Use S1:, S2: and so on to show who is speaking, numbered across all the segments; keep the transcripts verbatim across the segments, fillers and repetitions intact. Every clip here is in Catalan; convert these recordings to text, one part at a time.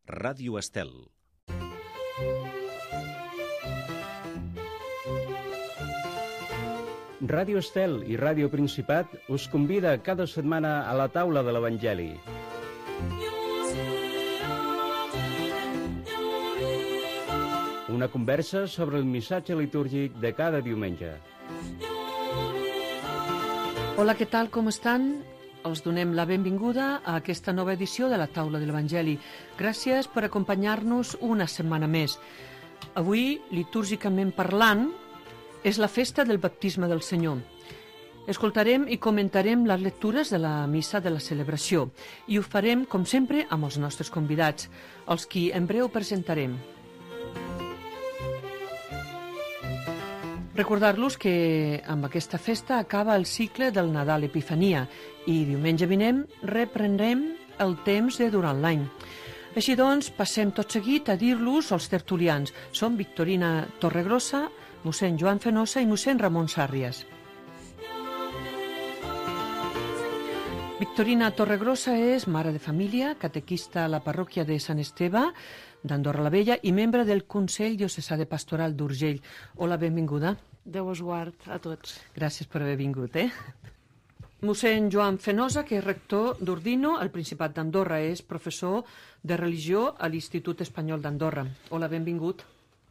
S1: Ràdio Estel.
S2: Ràdio Estel i Ràdio Principat us convida cada setmana a la taula de l'Evangeli. Una conversa sobre el missatge litúrgic de cada diumenge.
S3: Hola, què tal, com estan? Els donem la benvinguda a aquesta nova edició de la taula de l'Evangeli. Gràcies per acompanyar-nos una setmana més. Avui, litúrgicament parlant, és la festa del baptisme del Senyor. Escoltarem i comentarem les lectures de la missa de la celebració i ho farem, com sempre, amb els nostres convidats, els qui en breu presentarem. Recordar-los que amb aquesta festa acaba el cicle del Nadal Epifania i diumenge vinent reprendrem el temps de durant l'any. Així doncs, passem tot seguit a dir-los als tertulians. Són Victorina Torregrossa, mossèn Joan Fenosa i mossèn Ramon Sàrries. Victorina Torregrossa és mare de família, catequista a la parròquia de Sant Esteve d'Andorra la Vella i membre del Consell Diocesà de Pastoral d'Urgell. Hola, benvinguda.
S4: Déu us guard a tots.
S3: Gràcies per haver vingut, eh? Mossèn Joan Fenosa, que és rector d'Ordino, al Principat d'Andorra, és professor de religió a l'Institut Espanyol d'Andorra. Hola, benvingut.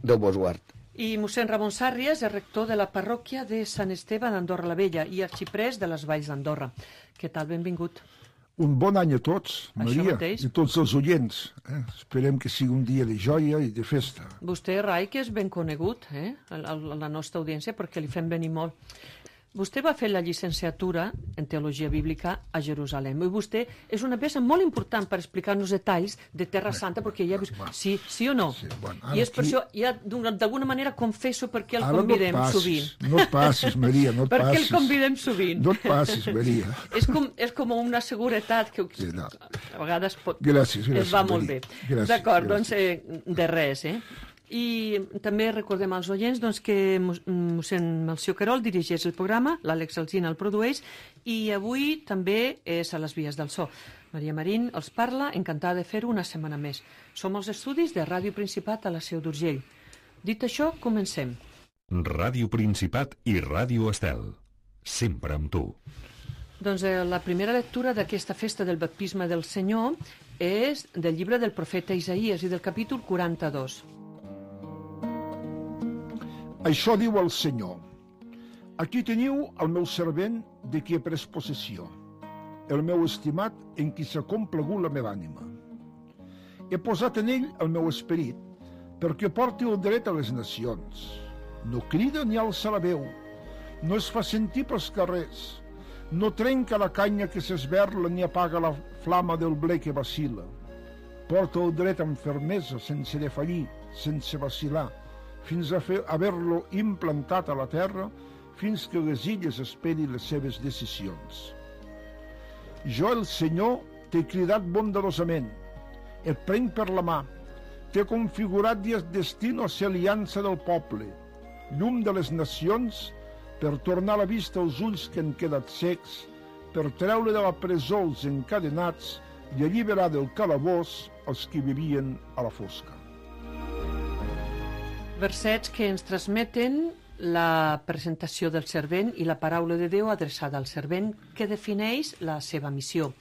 S5: Déu vos guard.
S3: I mossèn Ramon Sàrries és rector de la parròquia de Sant Esteve d'Andorra la Vella i arxiprès de les Valls d'Andorra. Què tal, benvingut?
S6: Un bon any a tots, Maria, i tots els oients. Eh? Esperem que sigui un dia de joia i de festa.
S3: Vostè, Rai, que és ben conegut, eh? a la nostra audiència, perquè li fem venir molt. Vostè va fer la llicenciatura en Teologia Bíblica a Jerusalem. I vostè és una peça molt important per explicar-nos detalls de Terra Santa, perquè ja ha vist... Sí, sí o no?
S6: Sí, bueno,
S3: I és
S6: aquí...
S3: per això, ja d'alguna manera confesso perquè el convidem
S6: no passis,
S3: sovint.
S6: No et passis, Maria, no et
S3: perquè
S6: passis.
S3: el convidem sovint.
S6: No et passis, Maria.
S3: és, com, és com una seguretat que
S6: sí, no.
S3: a vegades pot...
S6: gràcies, gràcies,
S3: es va molt
S6: Maria.
S3: bé. D'acord, doncs eh, de res, eh? I també recordem als oients doncs, que mossèn Melcior Querol dirigeix el programa, l'Àlex Alsina el produeix i avui també és a les vies del so. Maria Marín els parla, encantada de fer-ho una setmana més. Som als estudis de Ràdio Principat a la Seu d'Urgell. Dit això, comencem.
S1: Ràdio Principat i Ràdio Estel. Sempre amb tu.
S3: Doncs eh, la primera lectura d'aquesta festa del baptisme del Senyor és del llibre del profeta Isaïes i del capítol quaranta-dos.
S6: Això diu el Senyor. Aquí teniu el meu servent de qui he pres possessió, el meu estimat en qui s'ha complagut la meva ànima. He posat en ell el meu esperit perquè porti el dret a les nacions. No crida ni alça la veu, no es fa sentir pels carrers, no trenca la canya que s'esberla ni apaga la flama del ble que vacil·la. Porta el dret amb fermesa, sense defallir, sense vacil·lar, fins a fer haver-lo implantat a la terra, fins que les illes esperin les seves decisions. Jo, el Senyor, t'he cridat bondadosament, et prenc per la mà, t'he configurat i et destino a ser aliança del poble, llum de les nacions, per tornar la vista als ulls que han quedat secs, per treure de la presó els encadenats i alliberar del calabós els que vivien a la fosca.
S3: Versets que ens transmeten la presentació del servent i la paraula de Déu adreçada al servent que defineix la seva missió.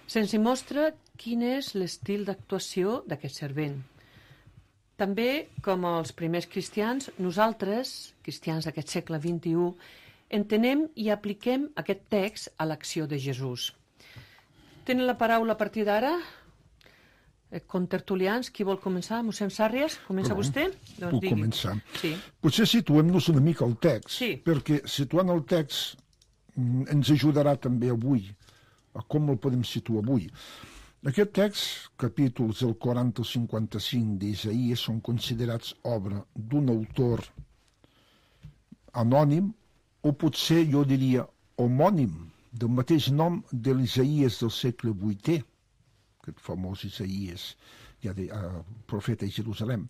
S3: Se'ns mostra quin és l'estil d'actuació d'aquest servent. També, com els primers cristians, nosaltres, cristians d'aquest segle vint-i-u, entenem i apliquem aquest text a l'acció de Jesús. Tenen la paraula a partir d'ara? Contertulians, qui vol començar? Mossèn Sàrries, comença
S6: no,
S3: vostè?
S6: Doncs puc digui. començar.
S3: Sí.
S6: Potser situem-nos una mica al text,
S3: sí.
S6: perquè situant el text ens ajudarà també avui, a com el podem situar avui. Aquest text, capítols del quaranta al cinquanta-cinc d'Isaïes, són considerats obra d'un autor anònim, o potser jo diria homònim, del mateix nom de l'Isaïes del segle vuitè, aquest famós Isaïes, ja de uh, profeta a Jerusalem.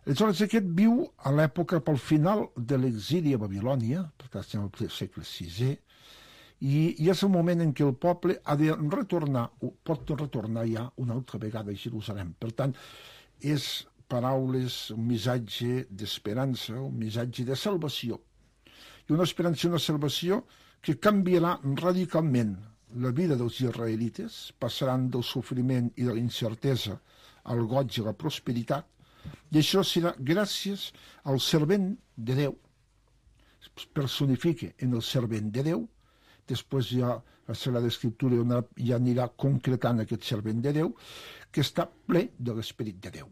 S6: Aleshores, aquest viu a l'època pel final de l'exili a Babilònia, per tant, estem al segle sisè, I, i és el moment en què el poble ha de retornar, pot retornar ja una altra vegada a Jerusalem. Per tant, és paraules, un missatge d'esperança, un missatge de salvació. I una esperança i una salvació que canviarà radicalment la vida dels israelites, passaran del sofriment i de la incertesa al goig i la prosperitat, i això serà gràcies al servent de Déu. Es personifica en el servent de Déu, després ja la Sagrada Escriptura ja anirà concretant aquest servent de Déu, que està ple de l'Esperit de Déu.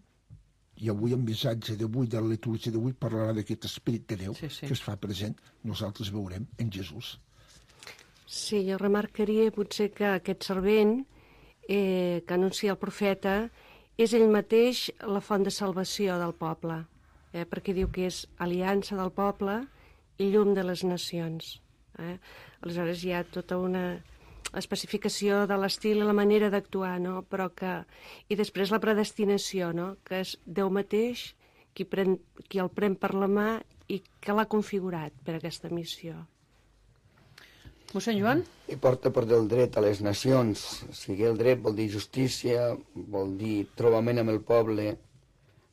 S6: I avui el missatge d'avui, de la litúrgia d'avui, parlarà d'aquest Esperit de Déu, sí, sí. que es fa present, nosaltres veurem en Jesús.
S4: Sí, jo remarcaria potser que aquest servent eh, que anuncia el profeta és ell mateix la font de salvació del poble, eh, perquè diu que és aliança del poble i llum de les nacions. Eh? Aleshores hi ha tota una especificació de l'estil i la manera d'actuar, no? Però que... I després la predestinació, no? Que és Déu mateix qui, pren, qui el pren per la mà i que l'ha configurat per aquesta missió.
S3: Mossèn Joan?
S5: I porta per del dret a les nacions. O sigui, el dret vol dir justícia, vol dir trobament amb el poble,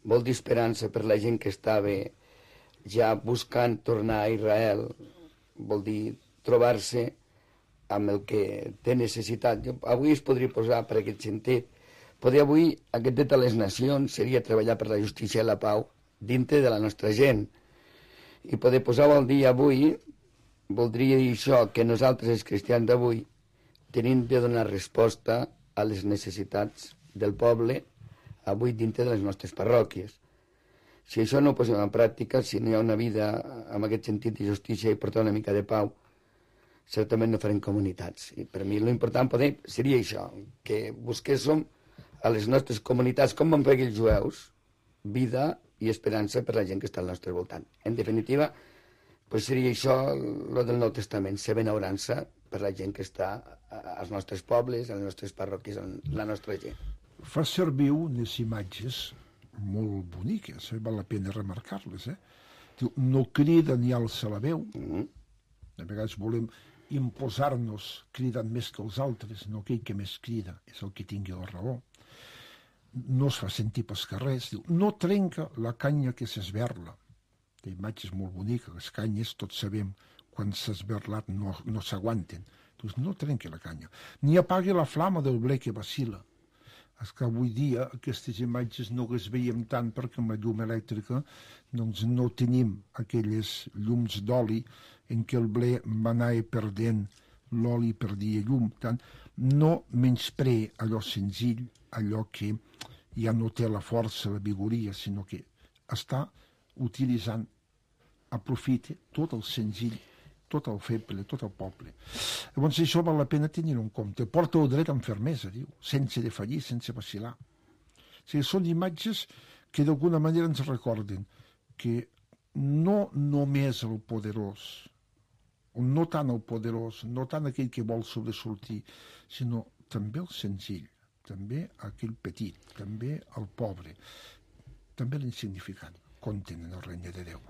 S5: vol dir esperança per la gent que estava ja buscant tornar a Israel, vol dir trobar-se amb el que té necessitat. Jo, avui es podria posar per aquest sentit. Poder avui, aquest dret a les nacions seria treballar per la justícia i la pau dintre de la nostra gent. I poder posar al dia avui voldria dir això, que nosaltres, els cristians d'avui, tenim de donar resposta a les necessitats del poble avui dintre de les nostres parròquies. Si això no ho posem en pràctica, si no hi ha una vida amb aquest sentit de justícia i portar una mica de pau, certament no farem comunitats. I per mi l'important poder seria això, que busquéssim a les nostres comunitats, com van fer els jueus, vida i esperança per la gent que està al nostre voltant. En definitiva, pues seria això el del Nou Testament, ser benaurança per la gent que està als nostres pobles, a les nostres parròquies, a la nostra gent.
S6: Fa servir unes imatges molt boniques, eh? Val la pena remarcar-les. Eh? Diu, no crida ni alça la veu. Mm-hmm. A vegades volem imposar-nos cridant més que els altres, no aquell que més crida és el que tingui la raó. No es fa sentir pels carrers. Diu, no trenca la canya que s'esberla. La imatge és molt bonica, les canyes, tots sabem, quan s'ha esberlat no, no s'aguanten. Doncs no trenqui la canya. Ni apagui la flama del ble que vacila. És que avui dia aquestes imatges no les veiem tant perquè amb la llum elèctrica doncs no tenim aquelles llums d'oli en què el ble va anar perdent l'oli perdia llum. Tant, no menysprea allò senzill, allò que ja no té la força, la vigoria, sinó que està utilitzant, aprofita tot el senzill, tot el feble, tot el poble. Llavors això val la pena tenir-ho en compte. Porta el dret amb fermesa, diu, sense defallir, sense vacil·lar. O sigui, són imatges que d'alguna manera ens recorden que no només el poderós, no tant el poderós, no tant aquell que vol sobresortir, sinó també el senzill, també aquell petit, també el pobre, també l'insignificant, compten en el regne de Déu.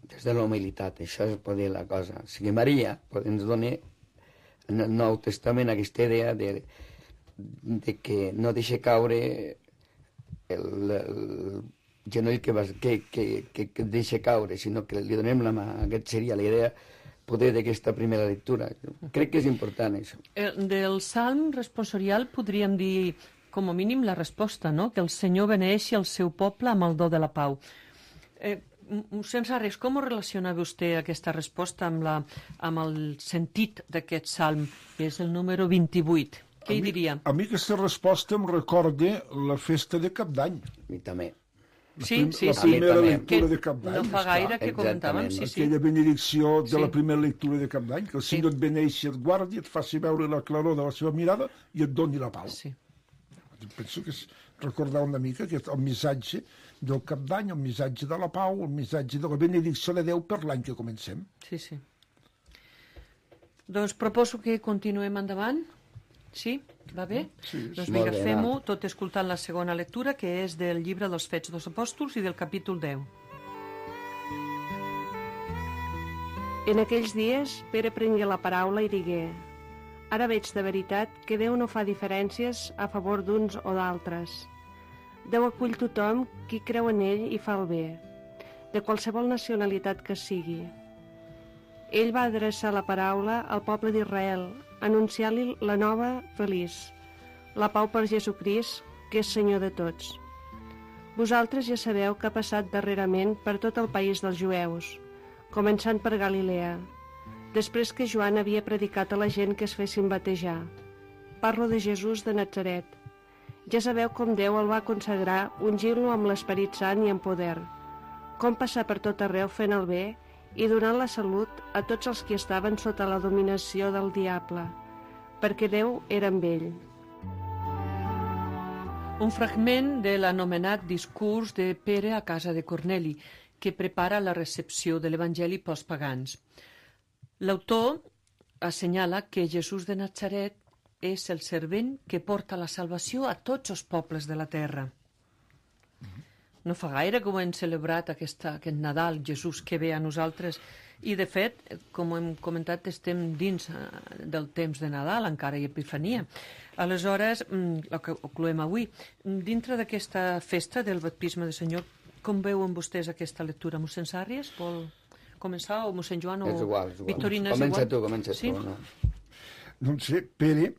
S5: Des de la humilitat, això és poder la cosa. O sigui, Maria ens dona en el Nou Testament aquesta idea de, de que no deixa caure el, el genoll que, vas, que, que, que, que deixa caure, sinó que li donem la mà. Aquest seria la idea poder d'aquesta primera lectura. Crec que és important, això.
S3: Del Salm responsorial podríem dir, com a mínim, la resposta, no? Que el Senyor beneeixi el seu poble amb el do de la pau. Eh, Sense res, com relaciona vostè aquesta resposta amb, la, amb el sentit d'aquest salm, que és el número vint-i-vuit? Què hi diria?
S6: A mi aquesta resposta em recorda la festa de Cap d'Any.
S5: A mi també.
S3: Sí, sí,
S6: la
S3: sí.
S6: primera
S3: Que
S6: lectura de Cap d'Any.
S3: no fa gaire que comentàvem, sí, sí.
S6: Aquella benedicció de
S3: Sí.
S6: la primera lectura de Cap d'Any, que el Senyor et beneixi, et guardi, et faci veure la claror de la seva mirada i et doni la pau.
S3: Sí.
S6: Penso que és recordar una mica aquest, el missatge del Cap d'Any, el missatge de la pau, el missatge de la benedicció de Déu per l'any que comencem.
S3: Sí, sí. Doncs proposo que continuem endavant. Sí? Va bé?
S6: Sí, sí.
S3: Doncs
S5: Molt
S3: vinga,
S5: bé,
S3: fem-ho,
S5: va.
S3: tot escoltant la segona lectura, que és del llibre dels Fets dels Apòstols i del capítol deu.
S4: En aquells dies, Pere prengué la paraula i digué: «Ara veig de veritat que Déu no fa diferències a favor d'uns o d'altres. Déu acull tothom qui creu en ell i fa el bé, de qualsevol nacionalitat que sigui. Ell va adreçar la paraula al poble d'Israel, anunciant-li la nova feliç, la pau per Jesucrist, que és Senyor de tots. Vosaltres ja sabeu que ha passat darrerament per tot el país dels jueus, començant per Galilea, després que Joan havia predicat a la gent que es fessin batejar. Parlo de Jesús de Natzaret. Ja sabeu com Déu el va consagrar ungint-lo amb l'Esperit Sant i amb poder, com passar per tot arreu fent el bé i donant la salut a tots els que estaven sota la dominació del diable, perquè Déu era amb ell».
S3: Un fragment de l'anomenat discurs de Pere a casa de Corneli, que prepara la recepció de l'Evangeli pels pagans. L'autor assenyala que Jesús de Natzaret és el servent que porta la salvació a tots els pobles de la terra. No fa gaire que ho hem celebrat aquesta, aquest Nadal, Jesús que ve a nosaltres, i de fet, com hem comentat, estem dins del temps de Nadal, encara hi ha Epifania. Aleshores, el que concloem avui, dintre d'aquesta festa del baptisme del Senyor, com veuen vostès aquesta lectura? Mossèn Sàrries vol començar, o mossèn Joan, o
S5: és igual, és igual.
S3: Victorina és
S5: comença
S3: igual?
S5: tu, comença
S3: sí?
S5: tu. No?
S6: Doncs sé, Pere,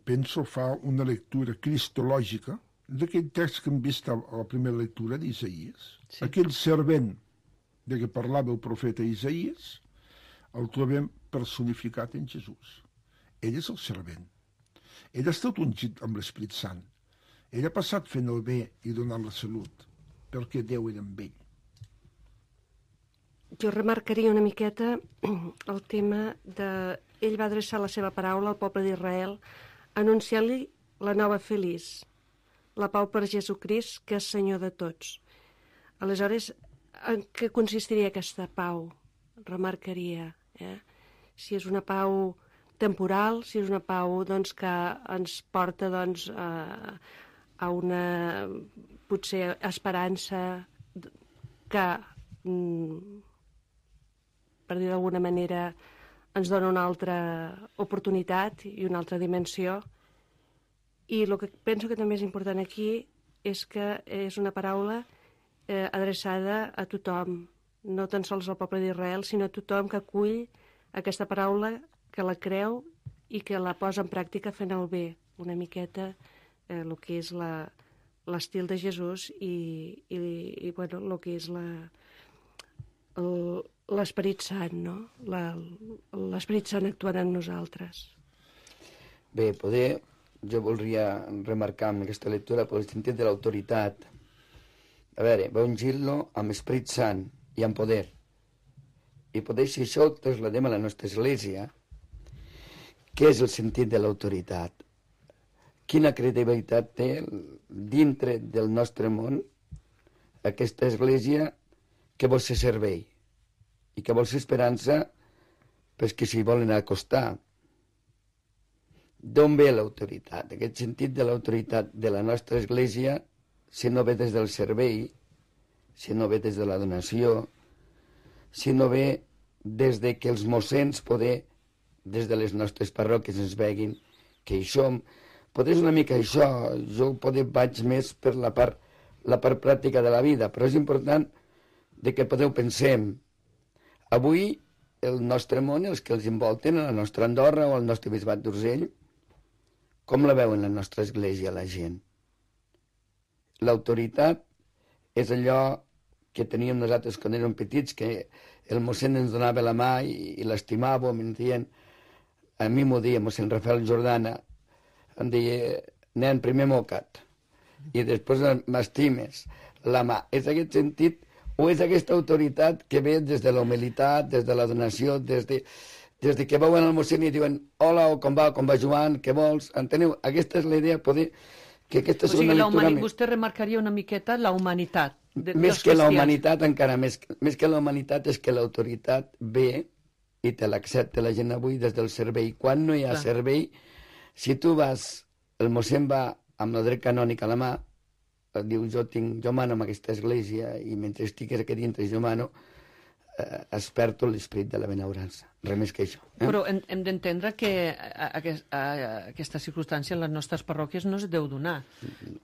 S6: penso, fa una lectura cristològica d'aquell text que hem vist a la primera lectura d'Isaïes. Sí. Aquell servent de què parlava el profeta Isaïes, el trobem personificat en Jesús. Ell és el servent. Ell ha estat ungit amb l'Esperit Sant. Ell ha passat fent el bé i donant la salut, perquè Déu era amb ell.
S4: Jo remarcaria una miqueta el tema de... Ell va adreçar la seva paraula al poble d'Israel, anunciant-li la nova feliç, la pau per Jesucrist, que és Senyor de tots. Aleshores, en què consistiria aquesta pau? Remarcaria, eh? Si és una pau temporal, si és una pau doncs, que ens porta doncs, a, a una, potser, esperança que, per dir d'alguna manera, ens dona una altra oportunitat i una altra dimensió. I el que penso que també és important aquí és que és una paraula eh, adreçada a tothom, no tan sols al poble d'Israel, sinó a tothom que acull aquesta paraula, que la creu i que la posa en pràctica fent el bé, una miqueta eh, el que és l'estil de Jesús i, i, i bueno, el que és l'Esperit Sant, no? L'Esperit Sant actuant en nosaltres.
S5: Bé, poder... Jo voldria remarcar en aquesta lectura pel sentit de l'autoritat. A veure, va ungir-lo amb Esperit Sant i amb poder. I poder, si això ho trasladem a la nostra església, què és el sentit de l'autoritat? Quina credibilitat té dintre del nostre món aquesta església que vol ser servei i que vol ser esperança pels que s'hi volen acostar. D'on ve l'autoritat? Aquest sentit de l'autoritat de la nostra església, si no ve des del servei, si no ve des de la donació, si no ve des de que els mossens poder, des de les nostres parròquies ens veguin que hi som. Poder és una mica això, jo poder vaig més per la part, la part pràctica de la vida, però és important de que podeu pensem. Avui el nostre món, els que els envolten, a la nostra Andorra o al nostre bisbat d'Urgell, com la veuen la nostra església, la gent? L'autoritat és allò que teníem nosaltres quan érem petits, que el mossèn ens donava la mà i, i l'estimàvem, em dient, a mi m'ho deia mossèn Rafael Jordana, em deia, nen, primer moca't, i després m'estimes la mà. És aquest sentit, o és aquesta autoritat que ve des de la humilitat, des de la donació, des de... des de que veuen el mossèn i diuen hola, o com va, com va Joan, què vols? Enteneu? Aquesta és la idea, poder... que aquesta
S3: o sigui,
S6: és una
S3: lectura... Humani... Vostè remarcaria una miqueta la humanitat. De,
S5: més que la humanitat, encara més, més que la humanitat és que l'autoritat ve i te l'accepta la gent avui des del servei. Quan no hi ha Clar. servei, si tu vas, el mossèn va amb el dret canònic a la mà, diu jo, tinc, jo mano en aquesta església i mentre estic aquí dintre jo mano, eh, es perd tot l'esperit de la benaurança. Res més que això. Eh?
S3: Però hem, hem d'entendre que a, a, a, a aquesta circumstància en les nostres parròquies no es deu donar.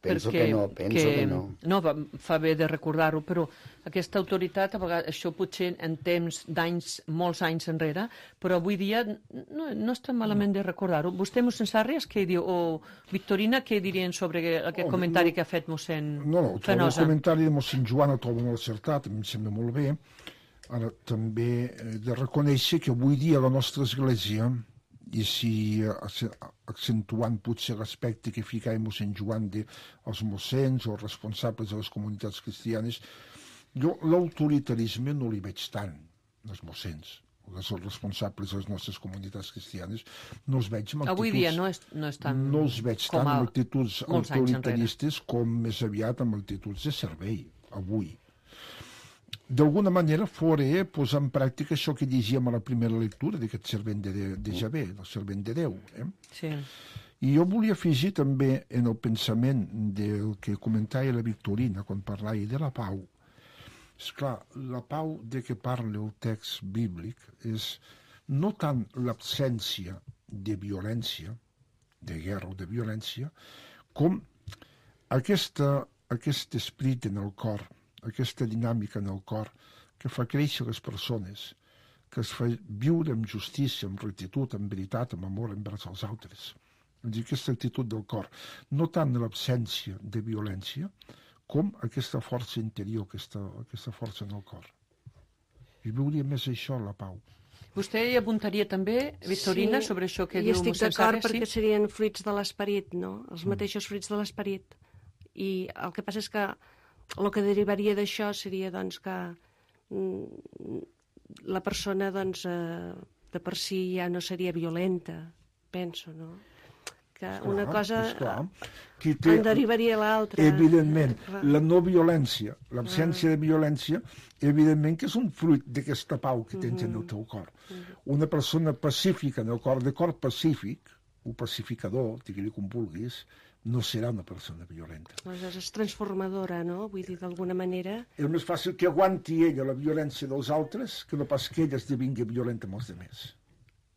S5: Penso
S3: perquè,
S5: que no, penso que, que no.
S3: No, va, fa bé de recordar-ho, però aquesta autoritat, a vegades, això potser en temps d'anys, molts anys enrere, però avui dia no, no està malament de recordar-ho. Vostè, mossèn Sarrias, què diu? O Victorina, què dirien sobre aquest oh, comentari no, que ha fet mossèn
S6: No, no,
S3: Fenosa?
S6: El comentari de mossèn Joan el trobo molt acertat, em sembla molt bé. Ara, també he de reconèixer que avui dia la nostra església, i si accentuant potser l'aspecte que ficava mossèn Joan dels mossens o responsables de les comunitats cristianes, jo l'autoritarisme no li veig tant, els mossens, els responsables de les nostres comunitats cristianes, no els veig amb actituds...
S3: Avui dia no és, no és tan...
S6: No els veig tant amb actituds autoritaristes com més aviat amb actituds de servei, avui. D'alguna manera fora posar en pràctica això que llegíem a la primera lectura d'aquest servent de, de, de Javé, el servent de Déu. Eh?
S3: Sí.
S6: I jo volia afegir també en el pensament del que comentava la Victorina quan parlava de la pau. Esclar, la pau de què parla el text bíblic és no tant l'absència de violència, de guerra o de violència, com aquesta, aquest esperit en el cor, aquesta dinàmica en el cor que fa créixer les persones, que es fa viure amb justícia, amb rectitud, amb veritat, amb amor envers els altres. És dir, aquesta actitud del cor, no tant l'absència de violència, com aquesta força interior, aquesta, aquesta força en el cor. I veuria més això, la pau.
S3: Vostè hi apuntaria també, Victorina,
S4: sí,
S3: sobre això que
S4: diu
S3: diu
S4: mossèn Sarrias? Sí, estic d'acord perquè
S3: sí?
S4: serien fruits de l'esperit, no? Els mateixos fruits de l'esperit. I el que passa és que el que derivaria d'això seria doncs, que mm, la persona doncs, eh, de per si ja no seria violenta, penso, no? Que esclar, una cosa
S6: té,
S4: en derivaria l'altra.
S6: Evidentment, la no violència, l'absència ah. de violència, evidentment que és un fruit d'aquesta pau que tens mm-hmm. en el teu cor. Mm-hmm. Una persona pacífica en el cor, de cor pacífic, o pacificador, digue-li com vulguis, no serà una persona violenta.
S4: Aleshores és transformadora, no? Vull dir, d'alguna manera...
S6: És més fàcil que aguanti ella la violència dels altres que no pas que ella esdevingui violenta amb els altres.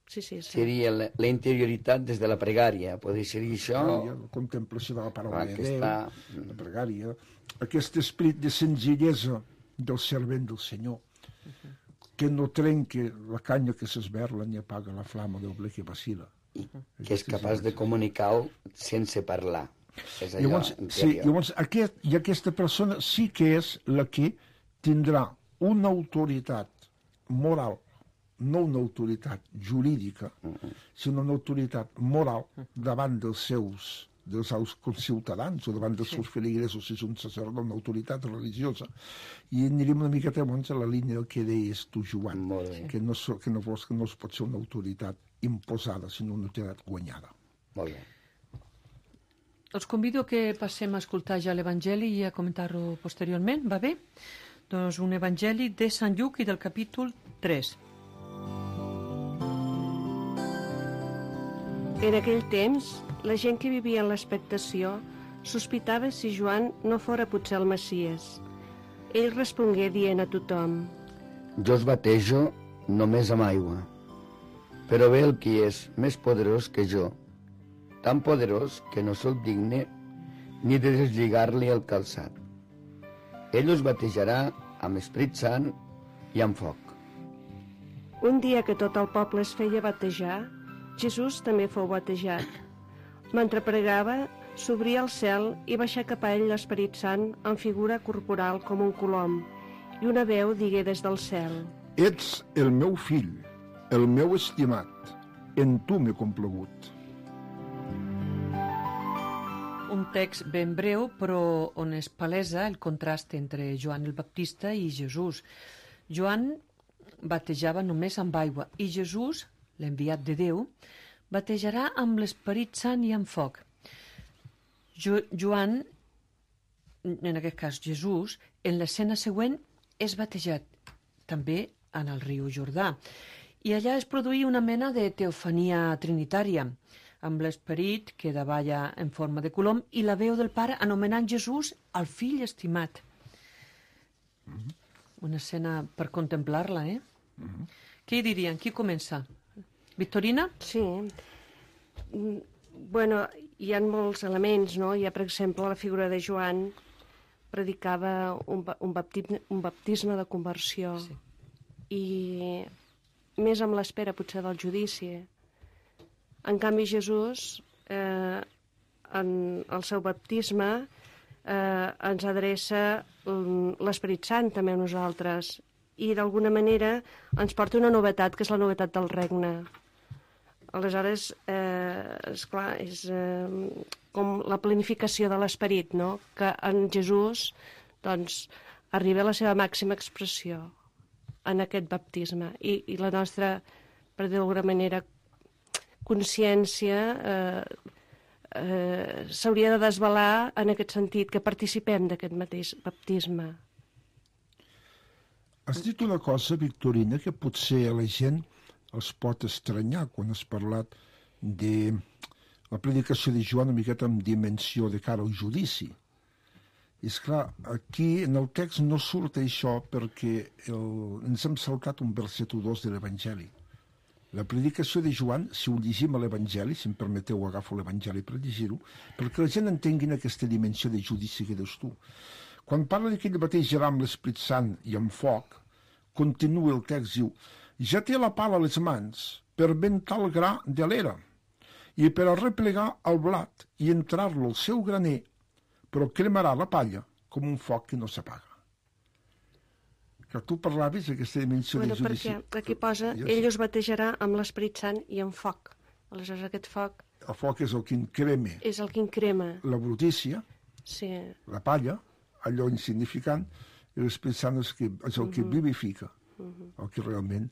S4: Sí, sí, sí.
S5: Seria la, la interioritat des de la pregària, podria ser això...
S6: La contemplació de la paraula de Déu, la pregària, aquest esperit de senzillesa del servent del Senyor, que no trenca la canya que s'esberla ni apaga la flama del ble que vacila.
S5: I que és capaç de comunicar-ho sense parlar. És allò
S6: llavors, sí, llavors aquest, i aquesta persona sí que és la que tindrà una autoritat moral, no una autoritat jurídica, uh-huh. sinó una autoritat moral davant dels seus, dels seus ciutadans o davant dels sí. seus feligresos, si és un sacerdot, una autoritat religiosa. I anirem una miqueta llavors a la línia del que deies tu, Joan, que no, que, no, que no es pot ser una autoritat imposada, sinó una autoritat guanyada.
S5: Molt bé.
S3: Els convido que passem a escoltar ja l'Evangeli i a comentar-ho posteriorment, va bé? Doncs un Evangeli de Sant Lluc i del capítol tres.
S4: En aquell temps, la gent que vivia en l'expectació sospitava si Joan no fora potser el Messies. Ell respongué dient a tothom:
S5: Jo us batejo només amb aigua, però ve el qui és més poderós que jo, tan poderós que no soc digne ni de deslligar-li el calçat. Ell us batejarà amb Esperit Sant i amb foc.
S4: Un dia que tot el poble es feia batejar, Jesús també fou batejat. Mentre pregava, s'obria el cel i baixà cap a ell l'Esperit Sant en figura corporal com un colom, i una veu digué des del cel:
S6: Ets el meu fill, el meu estimat, en tu m'he complagut.
S3: Un text ben breu, però on es palesa el contrast entre Joan el Baptista i Jesús. Joan batejava només amb aigua i Jesús, l'enviat de Déu, batejarà amb l'Esperit Sant i amb foc. Jo, Joan, en aquest cas Jesús, en l'escena següent és batejat, també en el riu Jordà. I allà es produïa una mena de teofania trinitària, amb l'esperit que davalla en forma de colom i la veu del pare anomenant Jesús el fill estimat.
S6: Mm-hmm.
S3: una escena per contemplar-la, eh? Mm-hmm. Què hi dirien? Qui comença? Victorina?
S4: Sí. Bueno, hi ha molts elements, no? Hi ha, per exemple, la figura de Joan predicava un, un, baptisme, un baptisme de conversió. Sí. I més amb l'espera, potser, del judici. En canvi, Jesús, eh, en el seu baptisme, eh, ens adreça l'Esperit Sant també a nosaltres i, d'alguna manera, ens porta una novetat, que és la novetat del regne. Aleshores, eh, esclar, és eh, com la planificació de l'Esperit, no? Que en Jesús, doncs, arriba a la seva màxima expressió en aquest baptisme. I, i la nostra, per dir d'alguna manera, consciència eh, eh, s'hauria de desvelar en aquest sentit, que participem d'aquest mateix baptisme.
S6: Has dit una cosa, Victorina, que potser a la gent els pot estranyar quan has parlat de la predicació de Joan una miqueta amb dimensió de cara al judici. I és clar, aquí en el text no surt això perquè el, ens hem saltat un verset o dos de l'Evangeli. La predicació de Joan, si ho llegim a l'Evangeli, si em permeteu agafo l'Evangeli per llegir-ho, perquè la gent entengui aquesta dimensió de judici que dius tu. Quan parla que ell batejarà amb l'Esprit Sant i amb foc, continua el text, diu: ja té la pala a les mans per ventar el gra de l'era i per arreplegar el blat i entrar-lo al seu graner, però cremarà la palla com un foc que no s'apaga. Que tu parlaves d'aquesta dimensió
S4: bueno,
S6: de judici.
S4: Perquè aquí posa, ell us batejarà amb l'Esperit Sant i amb foc. Aleshores aquest foc...
S6: El foc és el que increma.
S4: És el que increma.
S6: La brutícia, sí. La palla, allò insignificant, i l'Esperit Sant és, que, és el que uh-huh. vivifica. Uh-huh. El que realment...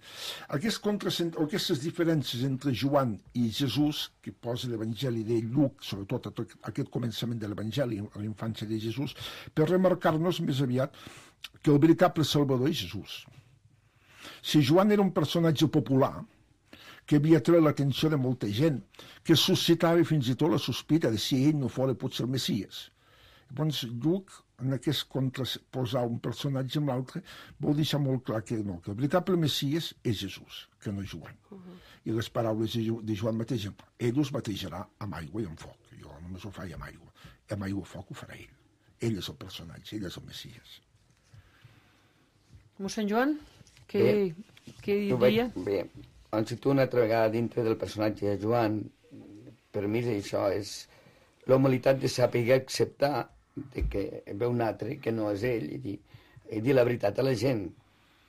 S6: Aquest contrasent... Aquestes diferències entre Joan i Jesús, que posa l'Evangeli de Lluc, sobretot aquest començament de l'Evangeli, a la infància de Jesús, per remarcar-nos més aviat que el veritable Salvador és Jesús. Si Joan era un personatge popular, que havia tret l'atenció de molta gent, que suscitava fins i tot la sospita de si ell no fos potser el Messies. Llavors, Lluc, en aquest contraposar un personatge amb l'altre, vol deixar molt clar que no, que el veritable Messies és Jesús, que no és Joan. Uh-huh. I les paraules de Joan mateix, ell us batejarà amb aigua i amb foc. Jo només ho faig amb aigua. Amb aigua i foc ho farà ell. Ell és el personatge, ell és el Messies.
S3: Mossèn Joan, què, bé, què hi diria?
S5: Bé, han citat una altra vegada dintre del personatge de Joan. Per mi això és la humilitat de saber acceptar de que ve un altre que no és ell i dir, i dir la veritat a la gent.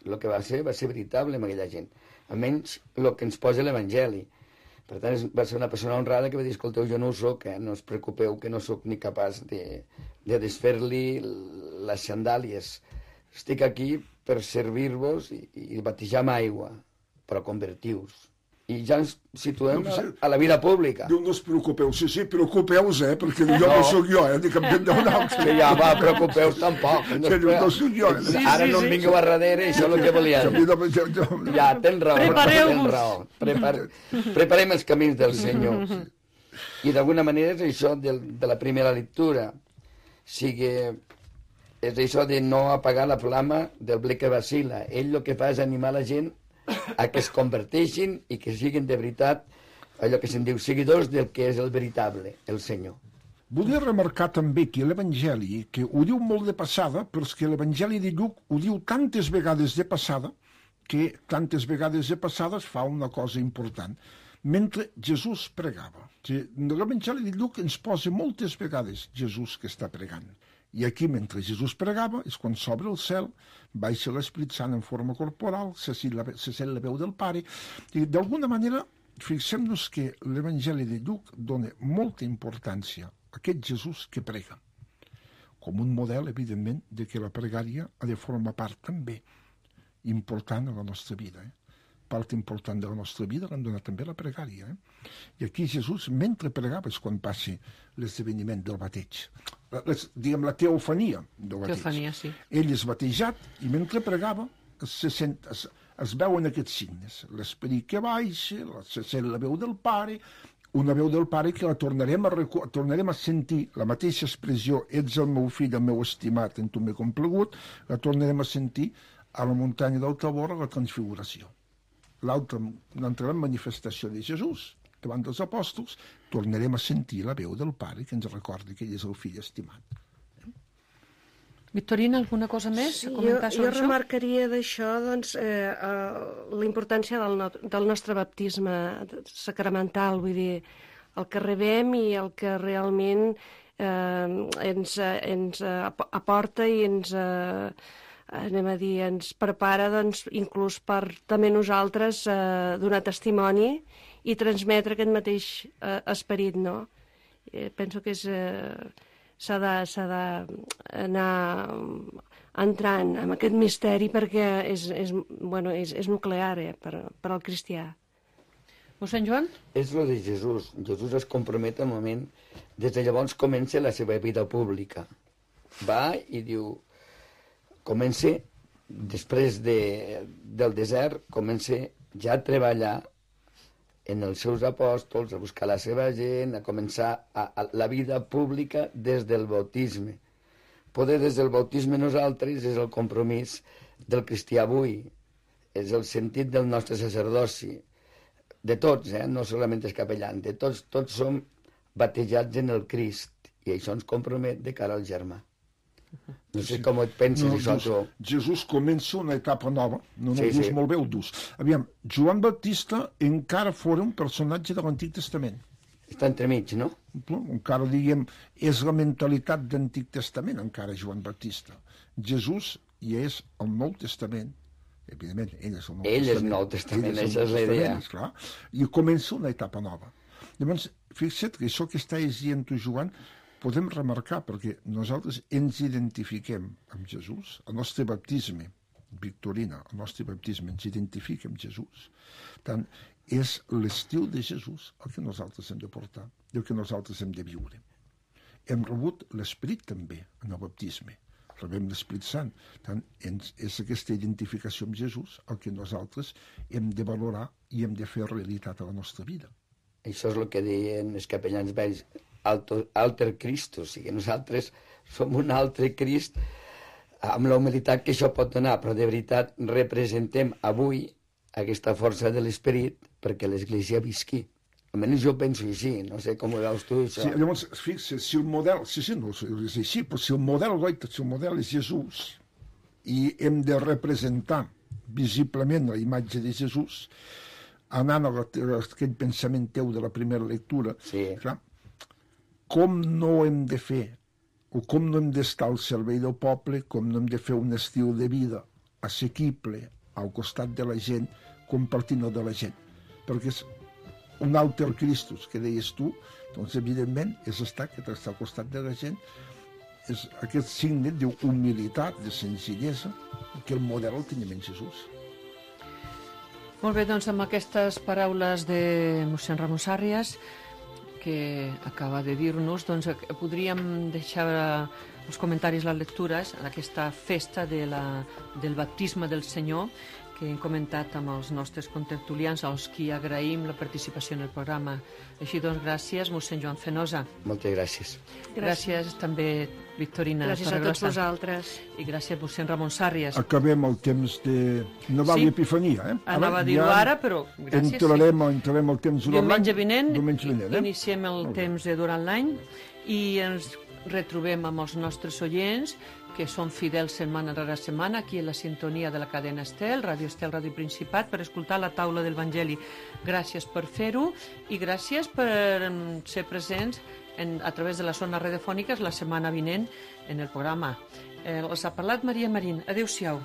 S5: El que va ser, va ser veritable amb aquella gent. Almenys el que ens posa l'Evangeli. Per tant, va ser una persona honrada que va dir, escolteu, jo no ho soc, eh? No us preocupeu que no sóc ni capaç de, de desfer-li les sandàlies. Estic aquí per servir-vos i, i batejar amb aigua, però convertiu-vos. I ja ens situem no, a, a la vida pública.
S6: Diu, no us preocupeu, sí, sí, preocupeu-vos, eh, perquè jo no, no soc jo, eh, dic, em vindrà un altre.
S5: Que ja va, preocupeu-vos tampoc. No,
S6: que no soc jo. Eh?
S5: Sí, ara sí, no em vingueu sí. a darrere, això és el que volia dir. Ja, tens raó.
S3: Prepareu-vos.
S5: Tens raó. Prepar, preparem els camins del Senyor. I d'alguna manera és això de, de la primera lectura. Sigui, és això de no apagar la flama del ble que vacila. Ell el que fa és animar la gent a que es converteixin i que siguin de veritat allò que se'n diu seguidors del que és el veritable, el Senyor.
S6: Volia remarcar també que l'Evangeli, que ho diu molt de passada, però és que l'Evangeli de Lluc ho diu tantes vegades de passada que tantes vegades de passada es fa una cosa important. Mentre Jesús pregava. L'Evangeli de Lluc ens posa moltes vegades Jesús que està pregant. I aquí, mentre Jesús pregava, és quan s'obre el cel, baixa l'Esprit Sant en forma corporal, se sent la veu del Pare, i d'alguna manera, fixem-nos que l'Evangeli de Lluc dona molta importància a aquest Jesús que prega, com un model, evidentment, de que la pregària ha de formar part també important a la nostra vida, eh? Part important de la nostra vida l'han donat també la pregària. Eh? I aquí Jesús, mentre pregava, és quan passa l'esdeveniment del bateig. Les, diguem, la teofania del bateig.
S3: Teofania, sí.
S6: Ell és batejat i mentre pregava se sent, es, es veuen aquests signes. L'esperit que baixa, se sent la veu del Pare, una veu del Pare que la tornarem a, tornarem a sentir, la mateixa expressió, ets el meu fill, el meu estimat, en tu m'he complagut, la tornarem a sentir a la muntanya del Tabor a la Transfiguració. L'altra, l'altra manifestació de Jesús, davant dels apòstols, tornarem a sentir la veu del Pare que ens recorda que ell és el fill estimat.
S3: Victorina, alguna cosa més
S4: Sí,
S3: a
S4: jo,
S3: comentar
S4: jo
S3: sobre això?
S4: remarcaria d'això doncs, eh, eh, la importància del, no, del nostre baptisme sacramental, vull dir, el que rebem i el que realment eh, ens, ens aporta i ens, eh, anem a dir, ens prepara doncs, inclús per també nosaltres eh, donar testimoni i transmetre aquest mateix eh, esperit, no? Eh, penso que és... Eh, s'ha d'anar entrant en aquest misteri perquè és, és, bueno, és, és nuclear eh, per, per al cristià.
S3: Mossèn Joan?
S5: És el de Jesús. Jesús es compromet al moment... Des de llavors comença la seva vida pública. Va i diu... Comença, després de, del desert, comença ja a treballar en els seus apòstols, a buscar la seva gent, a començar a, a la vida pública des del bautisme. Poder des del bautisme nosaltres és el compromís del cristià avui, és el sentit del nostre sacerdoci, de tots, eh? No solament els capellans, de tots, tots som batejats en el Crist, i això ens compromet de cara al germà. No sé com et penses,
S6: No,
S5: això,
S6: Jesús,
S5: tu.
S6: Jesús comença una etapa nova. No, no,
S5: Sí,
S6: sí,
S5: sí.
S6: molt bé ho dus. Aviam, Joan Baptista encara fora un personatge de l'Antic Testament.
S5: Està entremig, no?
S6: No? Encara, diguem, és la mentalitat d'Antic Testament, encara, Joan Baptista. Jesús ja és el Nou Testament. Evidentment, ell és el Nou
S5: Ell és
S6: Testament.
S5: Nou Testament,
S6: Ell el
S5: això
S6: Nou
S5: és la idea.
S6: Testament, esclar. I comença una etapa nova. Llavors, fixa't que això que estàs dient tu, Joan, podem remarcar, perquè nosaltres ens identifiquem amb Jesús, el nostre baptisme, Victorina, el nostre baptisme ens identifica amb Jesús. Per tant, és l'estil de Jesús el que nosaltres hem de portar, el que nosaltres hem de viure. Hem rebut l'Esperit també en el baptisme, rebem l'Esperit Sant. Per tant, ens, és aquesta identificació amb Jesús el que nosaltres hem de valorar i hem de fer realitat a la nostra vida.
S5: Això és el que deien els capellans vells, alter, alter Cristo, o sigui, nosaltres som un altre Crist amb la humilitat que això pot donar, però de veritat representem avui aquesta força de l'esperit perquè l'Església visqui. Almenys jo penso així, no sé com ho veus tu, això.
S6: Sí, llavors, fixa't, si el model, sí, sí, no, és així, però si el model, goita, si el model és Jesús i hem de representar visiblement la imatge de Jesús, anant a, la, a aquell pensament teu de la primera lectura,
S5: Sí.
S6: clar, com no hem de fer, o com no hem d'estar al servei del poble, com no hem de fer un estil de vida assequible al costat de la gent, compartint-ho de la gent. Perquè és un alter Christus, que deies tu, doncs evidentment és estar que està al costat de la gent, és aquest signe d'humilitat, de senzillesa, que el model el tenim en Jesús.
S3: Molt bé, doncs amb aquestes paraules de mossèn Ramon Sàrrias, que acaba de dir-nos, doncs podríem deixar els comentaris, les lectures, en aquesta festa de la, del baptisme del Senyor, que hem comentat amb els nostres contertulians, als qui agraïm la participació en el programa. Així doncs, gràcies, mossèn Joan Fenosa.
S5: Moltes gràcies.
S3: Gràcies, també, Victorina
S4: Gràcies a tots
S3: Torregrossa.
S4: vosaltres.
S3: I gràcies, mossèn Ramon Sàrrias.
S6: Acabem el temps de Nadal
S3: Sí.
S6: i Epifania. Eh?
S3: Anava a dir-ho
S6: ja
S3: ara, però gràcies.
S6: Entrarem, entrarem el temps durant
S3: Diumenge
S6: l'any.
S3: vinent,
S6: Diumenge vinent, eh?
S3: iniciem el
S6: Molt bé.
S3: temps de durant l'any i ens retrobem amb els nostres oients, que són fidels setmana rere setmana, aquí a la sintonia de la cadena Estel, Ràdio Estel, Ràdio Principat, per escoltar la taula del Vangeli. Gràcies per fer-ho i gràcies per ser presents en, a través de les zones radiofòniques la setmana vinent en el programa. Eh, els ha parlat Maria Marín. Adéu-siau.